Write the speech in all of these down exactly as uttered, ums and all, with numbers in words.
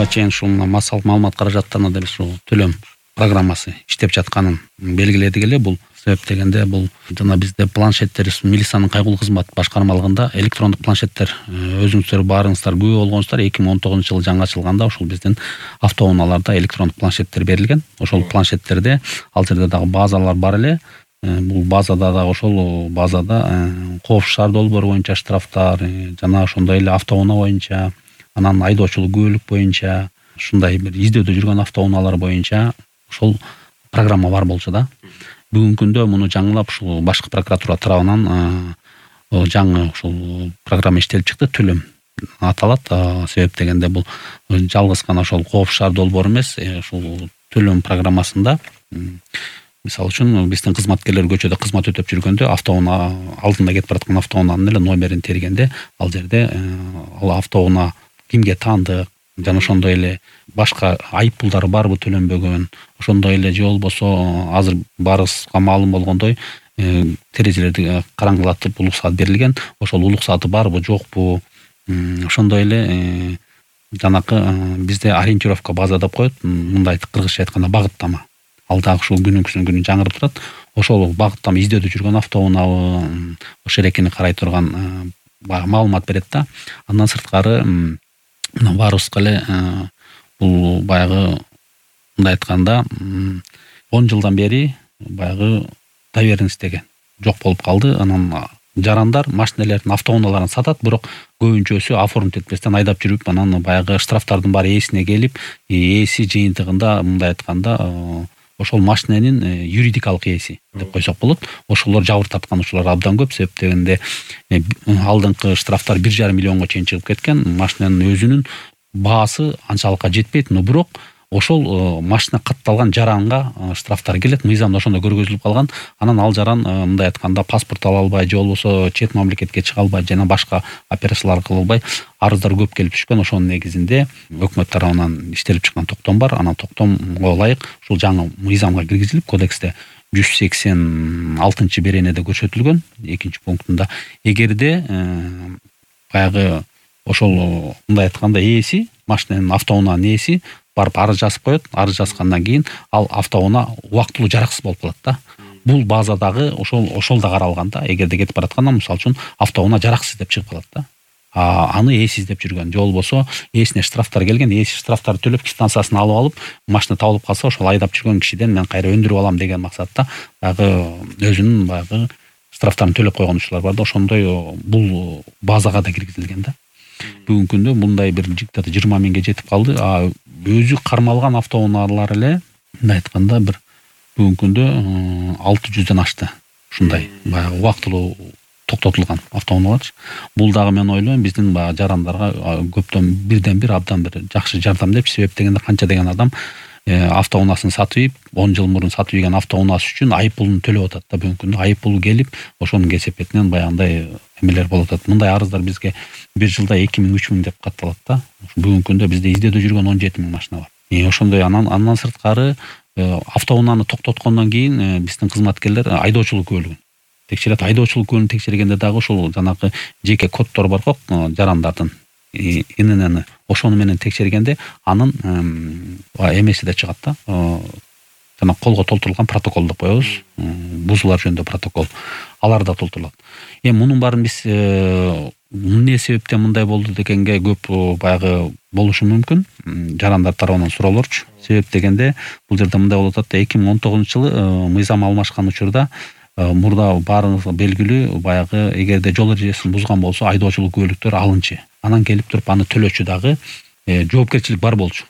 буга чейин ушул массалык маалымат каражаттарына да ушул төлөм программасы иштеп жатканын белгиледик эле. Бул себеп дегенде бул жана бизде планшеттер милициянын кайгылуу кызмат башкармалыгында электрондук планшеттер өзүңүздөр баарыңыздар күбө болгонсуздар. эки миң он тогузунчу жылы жаңы ачылганда ошол биздин автоунааларда электрондук планшеттер берилген. Ошол планшеттерде ал жерде дагы базалар бар эле. Бул базада да ошол базада коопсуздук шаар долбоору боюнча штрафтар жана ошондой эле автоунаа боюнча, анан айдоочулук күбөлүк боюнча, ушундай бир издөдө жүргөн автоунаалар боюнча ошол программа бар болчу да. Бүгүнкү күндө муну жаңылап ушул башкы прокуратура тарабынан жаңы ушул программа иштелип чыкты. Төлөм аталат. Себеп дегенде бул жалгыз гана ошол коопсуздук шаар долбоору эмес, ушул төлөм программасында мисалы үчүн биздин кызматкерлер көчөдө кызмат өтөп жүргөндө автоунаа алдында кетип бараткан автоунаанын эле номерин тергенде ал жерде ал автоунаа кимге таандык жана ошондой эле башка айыппулдары барбы төлөнбөгөн, ошондой эле же болбосо азыр баарыбызга маалым болгондой терезелерди караңгылатып улук саат берилген. Ошол улук сааты барбы жокпу, ошондой эле жанакы бизде ориентировка база деп коет, мындай кыргызча айтканда багыттама. Ал дагы ушул күнүнкүсүн күнү жаңырып турат. Ошол багыттама издөдө жүргөн автоунаабы, ошол эрекени карай турган маалымат берет да. Андан сырткары мына баарыбызга эле бул баягы мындай айтканда он жылдан бери баягы доверенность деген жок болуп калды. Анан жарандар машиналардын автоунааларын сатат, бирок көбүнчөсү оформить этпестен айдап жүрүп, анан баягы штрафтардын баары ээсине келип, ээси жыйынтыгында мындай айтканда ошол машиненин юридикалык ээси деп койсок болот. Ошолор жабыр тарткан учурлар абдан көп. Себеп дегенде алдыңкы штрафтар бир жарым миллионго чейин чыгып кеткен. Машинанын өзүнүн баасы анчалыкка жетпейт, но бирок ошол машина катталган жаранга штрафтар келет. Мыйзамда ошондой көргөзүлүп калган. Анан ал жаран мындай айтканда паспорт ала албай, же болбосо чет мамлекетке чыга албай, жана башка операциялар кыла албай арыздар көп келип түшкөн. Ошонун негизинде өкмөт тарабынан иштелип чыккан токтом бар. Анан токтомго ылайык ушул жаңы мыйзамга киргизилип, кодексте жүз сексен алтынчы беренеде көрсөтүлгөн экинчи пунктунда эгерде баягы ошол мындай айтканда ээси, машинанын автоунаанын ээси барып арыз жазып коет. Арыз жазгандан кийин ал автоунаа убактылуу жараксыз болуп калат да. Бул базадагы ошол ошол да каралган да. Эгерде кетип баратканда, мисалы үчүн автоунаа жараксыз деп чыгып калат да. А аны ээси издеп жүргөн, же болбосо ээсине штрафтар келген, ээси штрафтарды төлөп квитанциясын алып алып, машина табылып калса, ошол айдап жүргөн кишиден мен кайра өндүрүп алам деген максатта баягы өзүнүн баягы штрафтарын төлөп койгон учурлар бар да. Ошондой бул базага да киргизилген да. Бүгүнкү күндө мындай бир жиктаты жыйырма миңге жетип калды. А өзү кармалган автоунаалар эле мындай айтканда бир бүгүнкү күндө алты жүздөн ашты. Ушундай баягы убактылуу токтотулган автоунаалар. Бул дагы мен ойлойм биздин баягы жарандарга көптөн бирден бир абдан бир жакшы жардам деп. Себеп дегенде канча деген адам автоунаасын сатып ийип, он жыл мурун сатып ийген автоунаасы үчүн айыппулун төлөп атат да. Бүгүнкү күндө айыппул келип, ошонун кесепетинен баягындай эмелер болуп атат. Мындай арыздар бизге бир жылда эки миң үч миң деп катталат да. Бүгүнкү күндө бизде издөөдө жүргөн он жети миң машина бар. И ошондой анан андан сырткары автоунааны токтоткондон кийин биздин кызматкерлер айдоочулук күбөлүгүн текшерет. Айдоочулук күбөлүгүн текшергенде дагы ошол жанагы жеке коддор бар го жарандардын ИНН ошону менен текшергенде анын эмеси да чыгат да. Жана колго толтурулган протокол деп коебуз. Бузуулар жөнүндө протокол. Алар да толтурулат. Эми мунун баарын биз эмне себептен мындай болду дегенге көп баягы болушу мүмкүн. Жарандар тарабынан суроолорчу. Себеп дегенде бул жерде мындай болуп атат да. эки миң он тогузунчу жылы мыйзам алмашкан учурда мурда баарыңызга белгилүү баягы эгерде жол эрежесин бузган болсо айдоочулук күбөлүктөр алынчы. Анан келип туруп аны төлөчү дагы жоопкерчилик бар болчу.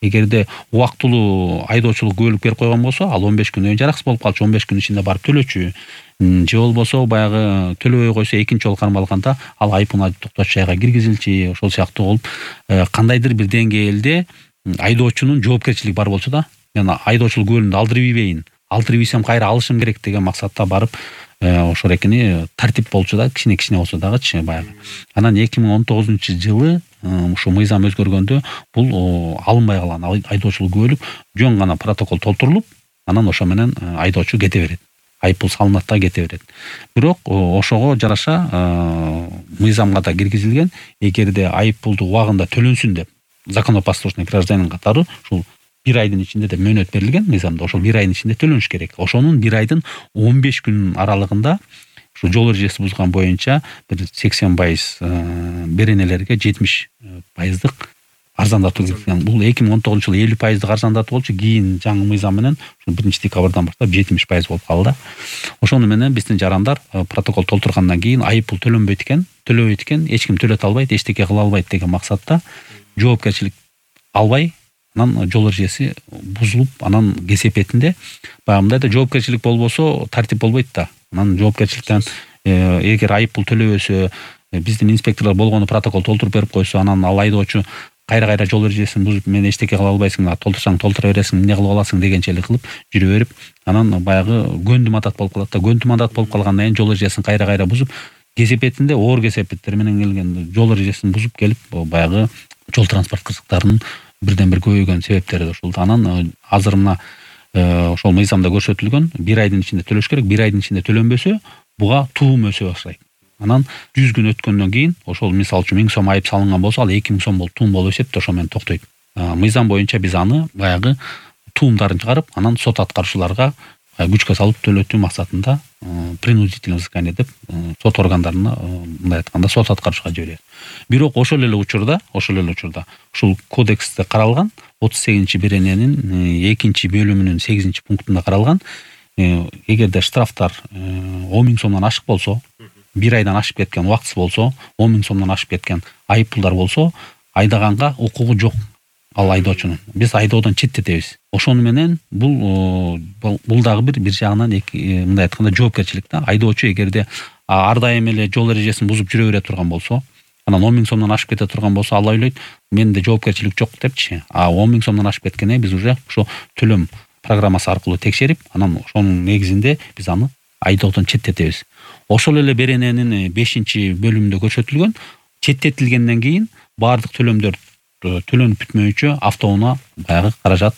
Эгерде убактылуу айдоочулук күбөлүк берип койгон болсо, ал он беш күнөн жараксыз болуп калчу, он беш күн ичинде барып төлөчү. Же болбосо баягы төлөбөй койсо экинчи жолу кармалганда ал айыппуна токточ жайга киргизилчи. Ошол сыяктуу болуп кандайдыр бир деңгээлде айдоочунун жоопкерчилиги бар болчу да. Жана айдоочулук күбөлүгүндү алдырып ийбейин, алдырып ийсем кайра алышым керек деген максатта барып ошол экени тартип болчу да, кичине-кичине болсо дагычы баягы. Анан эки миң он тогузунчу жылы ушу мыйзам өзгөргөндө бул алынбай калган. Айдоочулук күбөлүк жөн гана протокол толтурулуп, анан ошо менен айдоочу кете берет. Айыппул салынат да кете берет. Бирок ошого жараша мыйзамга да киргизилген, эгерде айыппулду убагында төлөнсүн деп законопослушный гражданин катары ушул бир айдын ичинде де мөөнөт берилген мыйзамда. Ошол бир айдын ичинде төлөнүш керек. Ошонун бир айдын он беш күн аралыгында ушу жол эрежеси бузган боюнча бир сексен пайыз беренелерге жетимиш пайыздык арзандатуу киргизген. Бул эки миң он тогузунчу жылы элүү пайыздык арзандатуу болчу, кийин жаңы мыйзам менен ушул биринчи декабрдан баштап жетимиш пайыз болуп калды. Ошону менен биздин жарандар протокол толтургандан кийин айып пул төлөнбөйт экен, төлөбөйт экен, эч ким төлөтө албайт, эчтеке кыла албайт деген максатта жоопкерчилик албай, анан жол эрежеси бузулуп, анан кесепетинде баягы мындайда жоопкерчилик болбосо тартип болбойт да. Анан жоопкерчиликтен эгер айып пул төлөбөсө, биздин инспекторлор болгону протокол толтуруп берип койсо, анан ал айдоочу кайра-кайра жол эрежесин бузуп, мен эчтеке кыла албайсың, толтурсаң толтура бересиң, эмне кылып аласың дегенчелик кылып жүрө берип, анан баягы көндү мандат болуп калат да. Көндү мандат болуп калгандан кийин жол эрежесин кайра-кайра бузуп, кесепетинде оор кесепеттер менен келген жол эрежесин бузуп келип, баягы жол транспорт кырсыктарынын бирден бир көбөйгөн себептери ушул. Анан азыр мына ошол мыйзамда көрсөтүлгөн бир айдын ичинде төлөш керек. Бир айдын ичинде төлөнбөсө буга туум өсө баштайт. Анан жүз күн өткөндөн кийин ошол мисалы үчүн миң сом айып салынган болсо, ал эки миң сом болуп туум болуп эсептеп ошо менен токтойт. Мыйзам боюнча биз аны баягы туумдарын чыгарып, анан сот аткаруучуларга күчкө салып төлөтүү максатында принудительное взыскание деп сот органдарына, мындай айтканда, сот аткарышка жиберет. Бирок ошол эле учурда, ошол эле учурда ушул кодексте каралган отуз сегизинчи берененин экинчи бөлүмүнүн сегизинчи пунктунда каралган, эгерде штрафтар он миң сомдон ашык болсо, бир айдан ашып кеткен, убактысы болсо, он миң сомдон ашып кеткен айып пулдар болсо, айдаганга укугу жок ал айдоочунун. Биз айдоодон четтетебиз. Ошону менен бул бул дагы бир бир жагынан мындай айтканда жоопкерчилик да. Айдоочу эгерде ар дайым эле жол эрежесин бузуп жүрө бере турган болсо, анан он миң сомдон ашып кете турган болсо, ал ойлойт, менде жоопкерчилик жок депчи. А он миң сомдон ашып кеткенде биз уже ошо төлөм программасы аркылуу текшерип, анан ошонун негизинде биз аны айдоодон четтетебиз. Ошол эле берененин бешинчи бөлүмүндө көрсөтүлгөн, четтетилгенден кийин баардык төлөмдөр төлөнүп бүтмөйүнчө автоунаа баягы каражат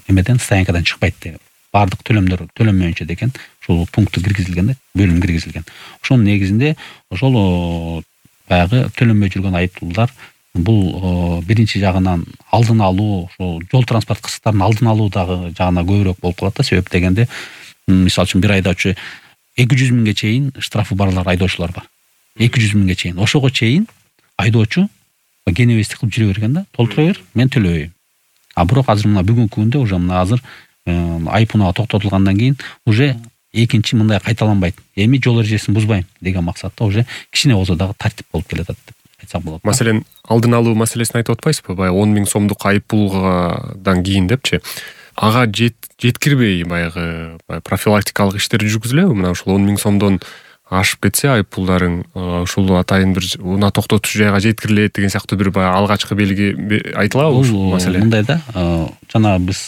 эмеден стоянкадан чыкпайт деп. Баардык төлөмдөр төлөнмөйүнчө деген ушул пункты киргизилген да, бөлүм киргизилген. Ошонун негизинде ошол баягы төлөнбөй жүргөн айып пулдар бул биринчи жагынан алдын алуу, ошол жол транспорт кырсыктарын алдын алуу дагы жагына көбүрөөк болуп калат да. Себеп дегенде, мисалы үчүн бир айдоочу эки жүз миңге чейин штрафы барлар айдоочулар бар. эки жүз миңге чейин. Ошого чейин айдоочу кенебестик кылып жүрө берген да, толтура бер, мен төлөбөйм. А бирок азыр мына бүгүнкү күндө уже мына азыр айып унаа токтотулгандан кийин уже экинчи мындай кайталанбайт. Эми жол эрежесин бузбайм деген максатта уже кичине болсо дагы тартип болуп келатат деп айтсак болот. Маселен, алдын алуу маселесин айтып атпайсызбы? Баягы он миң сомдук айып пулгадан кийин депчи. Ага жеткирбей баягы профилактикалык иштер жүргүзүлөбү? Мына ушул он миң сомдон ашып кетсе айып пулдарың ушул атайын бир унаа токтотуш жайга жеткирилет деген сыяктуу бир баягы алгачкы белги айтылабы ушул маселе? Мындай да, жана биз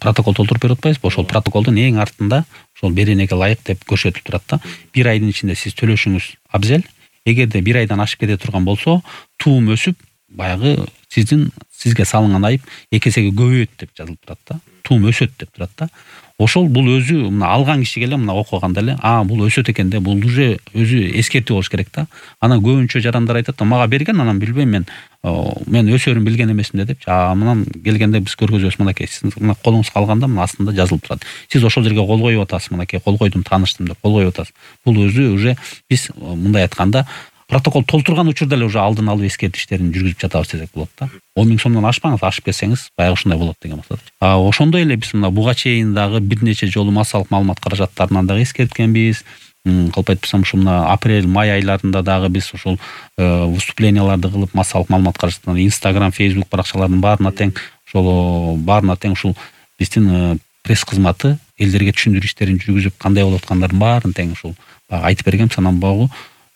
протокол толтуруп берип атпайбызбы? Ошол протоколдун эң артында ошол беренеге ылайык деп көрсөтүлүп турат да. Бир айдын ичинде сиз төлөшүңүз абзел. Эгерде бир айдан ашып кете турган болсо, туум өсүп, баягы сиздин сизге салынган айып эки эсеге көбөйөт деп жазылып турат да. Туум өсөт деп турат да. Ошол бул өзү мына алган кишиге эле мына окуганда эле, а бул өсөт экен да, бул уже өзү эскертүү болуш керек да. Анан көбүнчө жарандар айтат да, мага берген, анан билбейм, мен мен өсөрүн билген эмесмин да депчи. А мынан келгенде биз көргөзөбүз, мынакей сиз мына колуңузга алганда мына астында жазылып турат. Сиз ошол жерге кол коюп атасыз, мынакей кол койдум, тааныштым деп кол коюп атасыз. Бул өзү уже биз мындай айтканда протокол толтурган учурда эле уже алдын алуу эскертүү иштерин жүргүзүп жатабыз десек болот да. он миң сомдон ашпаңыз, ашып кетсеңиз баягы ушундай болот деген максат. А ошондой эле биз мына буга чейин дагы бир нече жолу массалык маалымат каражаттарынан дагы эскерткенбиз. Калп айтпасам ушу мына апрель, май айларында дагы биз ушул выступленияларды кылып массалык маалымат каражаттарынан Instagram, Facebook баракчаларынын баарына тең ошол баарына тең ушул биздин пресс кызматы элдерге түшүндүрүү иштерин жүргүзүп, кандай болуп аткандарын баарын тең ушул айтып бергенбиз. Анан багы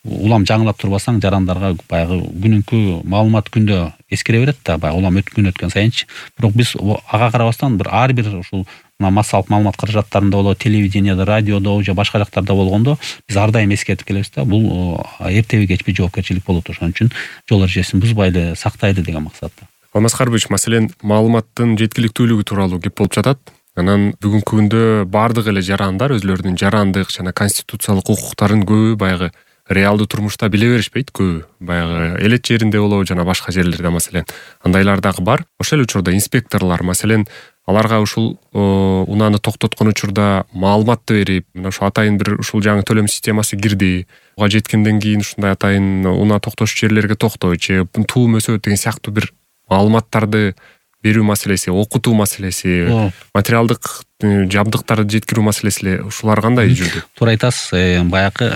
улам жаңылап турбасаң жарандарга баягы күнүнкү маалымат күндө эскере берет да, баягы улам өткөн өткөн сайынчы. Бирок биз ага карабастан бир ар бир ушул мына массалык маалымат каражаттарында болобу, телевидениеде, радиодо же башка жактарда болгондо биз ар дайым эскертип келебиз да, бул эртеби кечпи жоопкерчилик болот. Ошон үчүн жол эрежесин бузбайлы, сактайлы деген максатта. Алмаскарович, маселен, маалыматтын жеткиликтүүлүгү тууралуу кеп болуп жатат. Анан бүгүнкү күндө баардык эле жарандар өзлөрүнүн жарандык жана конституциялык укуктарын көбү баягы реалдуу турмушта биле беришпейт көбү. Баягы элет жеринде болобу жана башка жерлерде маселен андайлар дагы бар. Ошол учурда инспекторлор маселен аларга ушул унааны токтоткон учурда маалыматты берип, мына ушул атайын бир ушул жаңы төлөм системасы кирди. Буга жеткенден кийин ушундай атайын унаа токтош жерлерге токтойчу, туум өсөт деген сыяктуу бир маалыматтарды берүү маселеси, окутуу маселеси, материалдык жабдыктарды жеткирүү маселеси ушулар кандай жүрдү? Туура айтасыз. Баягы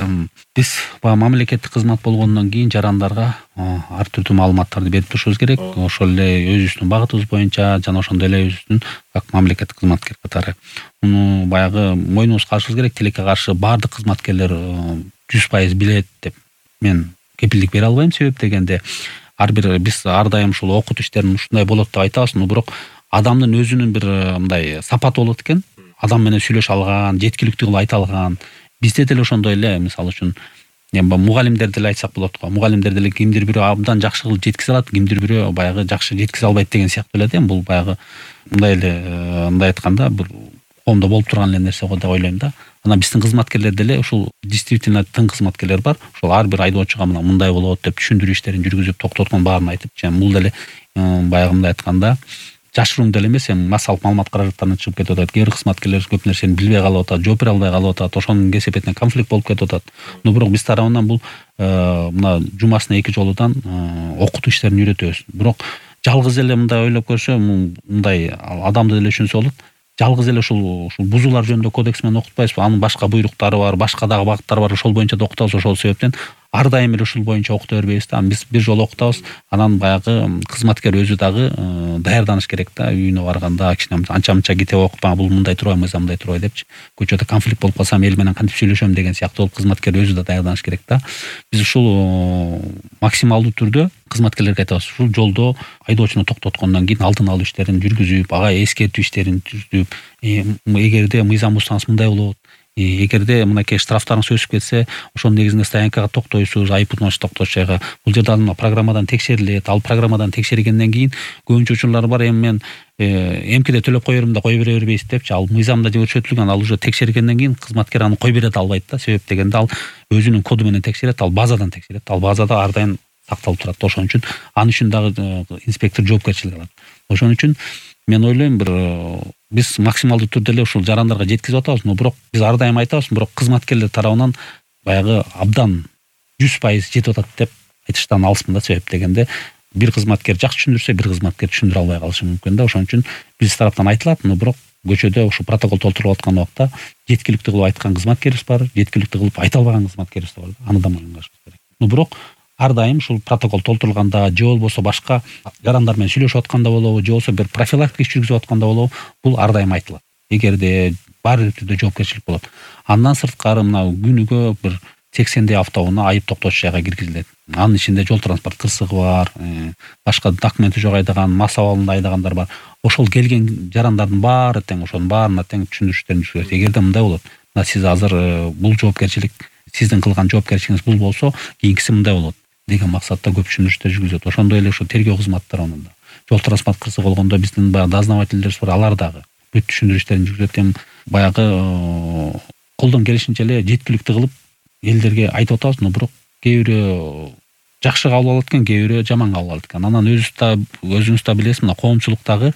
биз баягы мамлекеттик кызмат болгондон кийин жарандарга ар түрдүү маалыматтарды берип турушубуз керек. Ошол эле өзүбүздүн багытыбыз боюнча жана ошондой эле өзүбүздүн как мамлекеттик кызматкер катары муну баягы мойнубузга алышыбыз керек. Тилекке каршы баардык кызматкерлер жүз пайыз билет деп мен кепилдик бере албайм. Себеп дегенде ар бир биз ар дайым ушул окутуу иштерин ушундай болот деп айтабыз, но бирок адамдын өзүнүн бир мындай сапаты болот экен. Адам менен сүйлөшө алган, жеткиликтүү кылып айта алган. Бизде деле ошондой эле, мисалы үчүн мугалимдер деле айтсак болот го. Мугалимдер деле кимдир бирөө абдан жакшы кылып жеткизе алат, кимдир бирөө баягы жакшы жеткизе албайт деген сыяктуу эле да. Бул баягы мындай эле мындай айтканда бир коомдо болуп турган эле нерсе го деп ойлойм да. Анан биздин кызматкерлер деле ушул действительно тың кызматкерлер бар. Ошол ар бир айдоочуга мына мындай болот деп түшүндүрүү иштерин жүргүзүп токтоткон баарын айтып, жана бул деле баягы мындай айтканда жашыруун деле эмес, эми массалык маалымат каражаттарына чыгып кетип атат. Кээ бир кызматкерлер көп нерсени билбей калып атат, жооп бере албай калып атат. Ошонун кесепетинен конфликт болуп кетип атат. Но бирок биз тарабынан бул мына жумасына эки жолудан окутуу иштерин үйрөтөбүз. Бирок жалгыз эле мындай ойлоп көрсө, мындай адамды деле түшүнсө болот. Жалгыз эле ушул ушул бузуулар жөнүндө кодекс менен окутпайбызбы? Анын башка буйруктары бар, башка дагы багыттары бар. Ошол боюнча да окутабыз. Ошол себептен ар дайым эле ушул боюнча окута бербейбиз да. Биз бир жолу окутабыз, анан баягы кызматкер өзү дагы даярданыш керек да. Үйүнө барганда кичине анча-мынча китеп окуп, бул мындай турбайбы, мындай турбайбы депчи. Көчөдө конфликт болуп калсам эл менен кантип сүйлөшөм деген сыяктуу болуп кызматкер өзү да даярданыш керек да. Биз ушул максималдуу түрдө кызматкерлерге айтабыз, ушул жолдо айдоочуну токтоткондон кийин алдын алуу иштерин жүргүзүп, ага эскертүү иштерин түзүп, эгерде мыйзам бузсаңыз мындай болот, эгерде мынакей штрафтарыңыз өсүп кетсе, ошонун негизинде стоянкага токтойсуз, айыппутун токтош жайга. Бул жерде ал программадан текшерилет. Ал программадан текшергенден кийин көбүнчө учурлар бар. Эми мен эмкиде төлөп кое берем да кое бере бербейсиз депчи. Ал мыйзамда көрсөтүлгөн, ал уже текшергенден кийин кызматкер аны кое бере албайт да. Себеп дегенде ал өзүнүн коду менен текшерет, ал базадан текшерет. Ал базада ар дайым сакталып турат. Ошон үчүн аны үчүн дагы инспектор жоопкерчилик алат. Ошон үчүн мен ойлойм, бир биз максималдуу түрдө эле ушул жарандарга жеткизип атабыз, но бирок биз ар дайым айтабыз, бирок кызматкерлер тарабынан баягы абдан жүз пайыз жетип атат деп айтыштан алыспын да. Себеп дегенде бир кызматкер жакшы түшүндүрсө, бир кызматкер түшүндүрө албай калышы мүмкүн да. Ошон үчүн биз тараптан айтылат, но бирок көчөдө ушул протокол толтуруп аткан убакта жеткиликтүү кылып айткан кызматкерибиз бар, жеткиликтүү кылып айта албаган кызматкерибиз бар да. Аны да мойнуна алышыбыз керек. Но бирок ар дайым ушул протокол толтурулганда, же болбосо башка жарандар менен сүйлөшүп атканда болобу, же болбосо бир профилактика иш жүргүзүп атканда болобу, бул ар дайым айтылат. Эгерде бар түрдө жоопкерчилик болот. Андан сырткары мына күнүгө бир сексендей автоунаа айып токтош жайга киргизилет. Анын ичинде жол транспорт кырсыгы бар, башка документи жок айдаган, мас абалында айдагандар бар. Ошол келген жарандардын баары тең ошонун баарына тең түшүндүрүштөрүн жүргүзөт. Эгерде мындай болот, мына сиз азыр бул жоопкерчилик, сиздин кылган жоопкерчилигиңиз бул болсо, кийинкиси мындай болот деген максатта көп түшүндүрүштөр жүргүзөт. Ошондой эле ушул тергөө кызматтары анын да. Жол транспорт кырсыгы болгондо биздин баягы дознавательдерибиз бар, алар дагы бүт түшүндүрүштөрүн жүргүзөт. Эми баягы колдон келишинче эле жеткиликтүү кылып элдерге айтып атабыз, но бирок кээ бирөө жакшы кабыл алат экен, кээ бирөө жаман кабыл алат экен. Анан өзүңүз да өзүңүз да билесиз, мына коомчулуктагы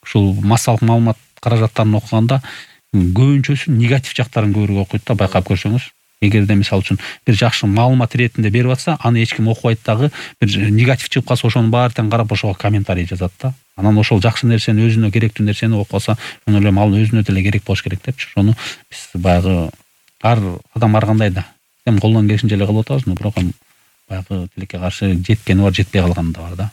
ушул массалык маалымат каражаттарын окуганда көбүнчөсү негатив жактарын көбүрөөк окуйт да, байкап көрсөңүз. Эгерде мисалы үчүн бир жакшы маалымат иретинде берип атса, аны эч ким окубайт дагы, бир негатив чыгып калса, ошонун баары тең карап ошого комментарий жазат да. Анан ошол жакшы нерсени, өзүнө керектүү нерсени окуп алса, мен ойлойм ал өзүнө деле керек болуш керек депчи. Ошону биз баягы ар адам ар кандай да эми колдон келишинче эле кылып атабыз, но бирок баягы тилекке каршы жеткени бар, жетпей калганы да бар да.